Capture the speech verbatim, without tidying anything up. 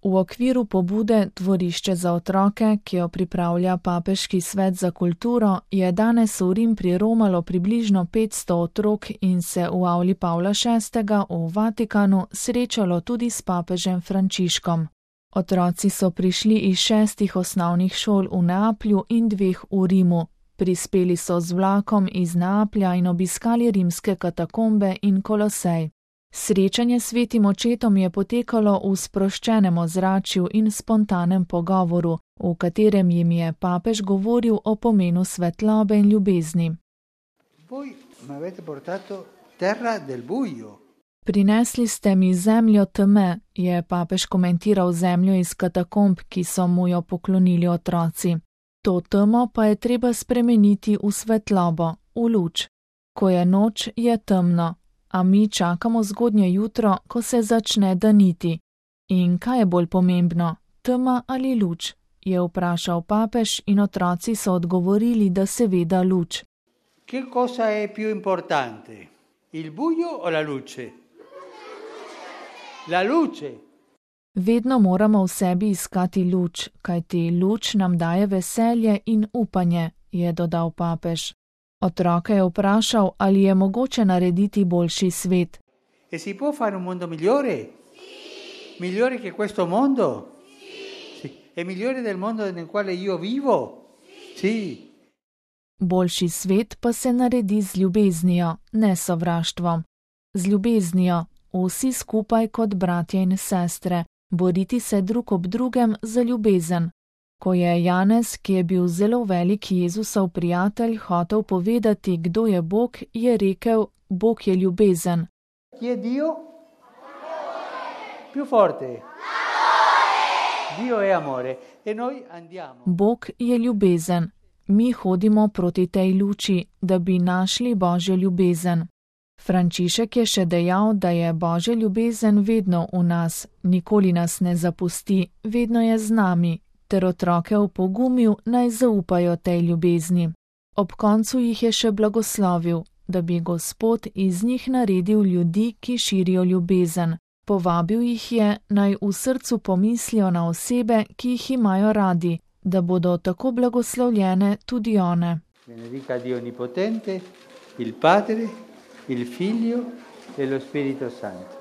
V okviru pobude Dvorišče za otroke, ki jo pripravlja Papeški svet za kulturo, je danes v Rim priromalo približno petsto otrok in se v avli Pavla šestega v Vatikanu srečalo tudi s papežem Frančiškom. Otroci so prišli iz šestih osnovnih šol v Neaplju in dveh v Rimu. Prispeli so z vlakom iz Neaplja in obiskali rimske katakombe in Kolosej. Srečanje s svetim očetom je potekalo v sproščenem ozračju in spontanem pogovoru, v katerem jim je papež govoril o pomenu svetlobe in ljubezni. Prinesli ste mi zemljo teme, je papež komentiral zemljo iz katakomb, ki so mu jo poklonili otroci. To temo pa je treba spremeniti v svetlobo, v luč. Ko je noč, je temno. A mi čakamo zgodnje jutro, ko se začne daniti. In kaj je bolj pomembno, tema ali luč? Je vprašal papež in otroci so odgovorili, da seveda luč. Che cosa è più importante? Il buio o la luce? La luce. Vedno moramo v sebi iskati luč, kajti luč nam daje veselje in upanje, je dodal papež. Otroka je vprašal, ali je mogoče narediti boljši svet. E si può fare un mondo migliore? Sì. Migliore che questo mondo? Sì. E migliore del mondo nel quale io vivo? Sì. Boljši svet pa se naredi z ljubeznijo, ne sovraštvom. Z ljubeznijo, vsi skupaj kot bratje in sestre, boriti se drug ob drugem za ljubezen. Ko je Janez, ki je bil zelo velik Jezusov prijatelj, hotel povedati, kdo je Bog, je rekel, Bog je ljubezen. Chi è Dio? Più forte. Dio è amore. E noi andiamo. Bog je ljubezen. Mi hodimo proti tej luči, da bi našli Božjo ljubezen. Frančišek je še dejal, da je Božja ljubezen vedno v nas, nikoli nas ne zapusti, vedno je z nami, ter otroke opogumil, naj zaupajo tej ljubezni. Ob koncu jih je še blagoslovil, da bi Gospod iz njih naredil ljudi, ki širijo ljubezen. Povabil jih je, naj v srcu pomislijo na osebe, ki jih imajo radi, da bodo tako blagoslovljene tudi one. Benedica Dio Onnipotente, il Padre, il Figlio e lo Spirito Santo.